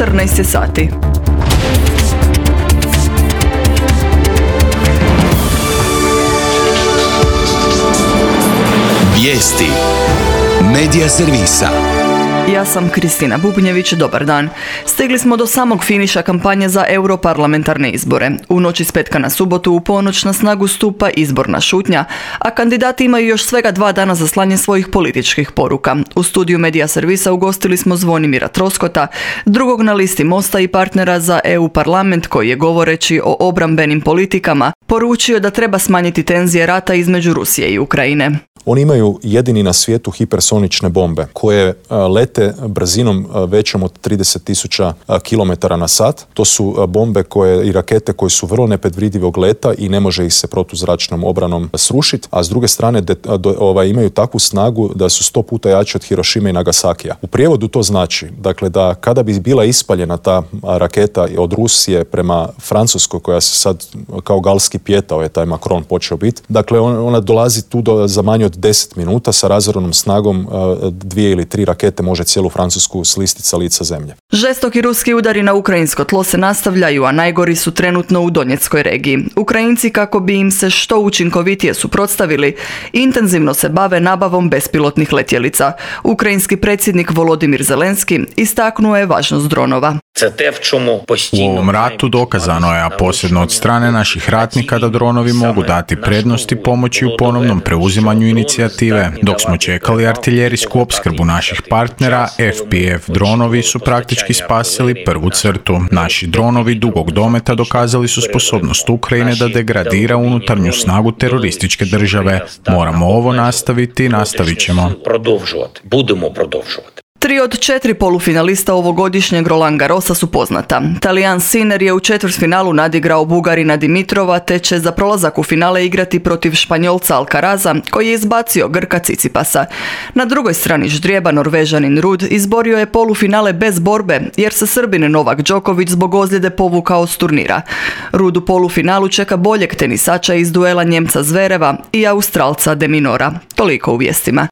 14 je sati. Vijesti Medija servisa. Ja sam Kristina Bubnjević, dobar dan. Stigli smo do samog finiša kampanje za europarlamentarne izbore. U noći s petka na subotu u ponoć na snagu stupa izborna šutnja, a kandidati imaju još svega 2 dana za slanje svojih političkih poruka. U studiju Medija servisa ugostili smo Zvonimira Troskota, drugog na listi Mosta i partnera za EU parlament, koji je govoreći o obrambenim politikama poručio da treba smanjiti tenzije rata između Rusije i Ukrajine. Oni imaju jedini na svijetu hipersonične bombe koje lete brzinom većom od 30.000 km na sat. To su bombe i rakete koje su vrlo nepredvidivog leta i ne može ih se protuzračnom obranom srušiti, a s druge strane imaju takvu snagu da su 100 puta jače od Hirošime i Nagasakija. U prijevodu to znači, dakle, da kada bi bila ispaljena ta raketa od Rusije prema Francuskoj, koja se sad kao galski pijetao je taj Macron počeo biti, dakle ona dolazi tu za manje od 10 minuta sa razornom snagom 2 ili 3 rakete može cijelu Francusku slistiti sa lica zemlje. Žestoki ruski udari na ukrajinsko tlo se nastavljaju, a najgori su trenutno u Donjeckoj regiji. Ukrajinci, kako bi im se što učinkovitije suprotstavili, intenzivno se bave nabavom bespilotnih letjelica. Ukrajinski predsjednik Volodimir Zelenski istaknuo je važnost dronova. U ovom ratu dokazano je, a posebno od strane naših ratnika, da dronovi mogu dati prednost i pomoći u ponovnom preuzimanju inicijative. Dok smo čekali artiljerijsku opskrbu naših partnera, FPV dronovi su praktički spasili prvu crtu. Naši dronovi dugog dometa dokazali su sposobnost Ukrajine da degradira unutarnju snagu terorističke države. Moramo ovo nastaviti i nastavit ćemo. Budemo продовжувати. 3 od 4 polufinalista ovogodišnjeg Roland Garrosa su poznata. Talijan Sinner je u četvrtfinalu nadigrao Bugarina Dimitrova, te će za prolazak u finale igrati protiv Španjolca Alcaraza, koji je izbacio Grka Cicipasa. Na drugoj strani ždrijeba Norvežanin Rud izborio je polufinale bez borbe, jer se Srbin Novak Đoković zbog ozljede povukao s turnira. Rud u polufinalu čeka boljeg tenisača iz duela Njemca Zvereva i Australca De Minaura. Toliko u vijestima.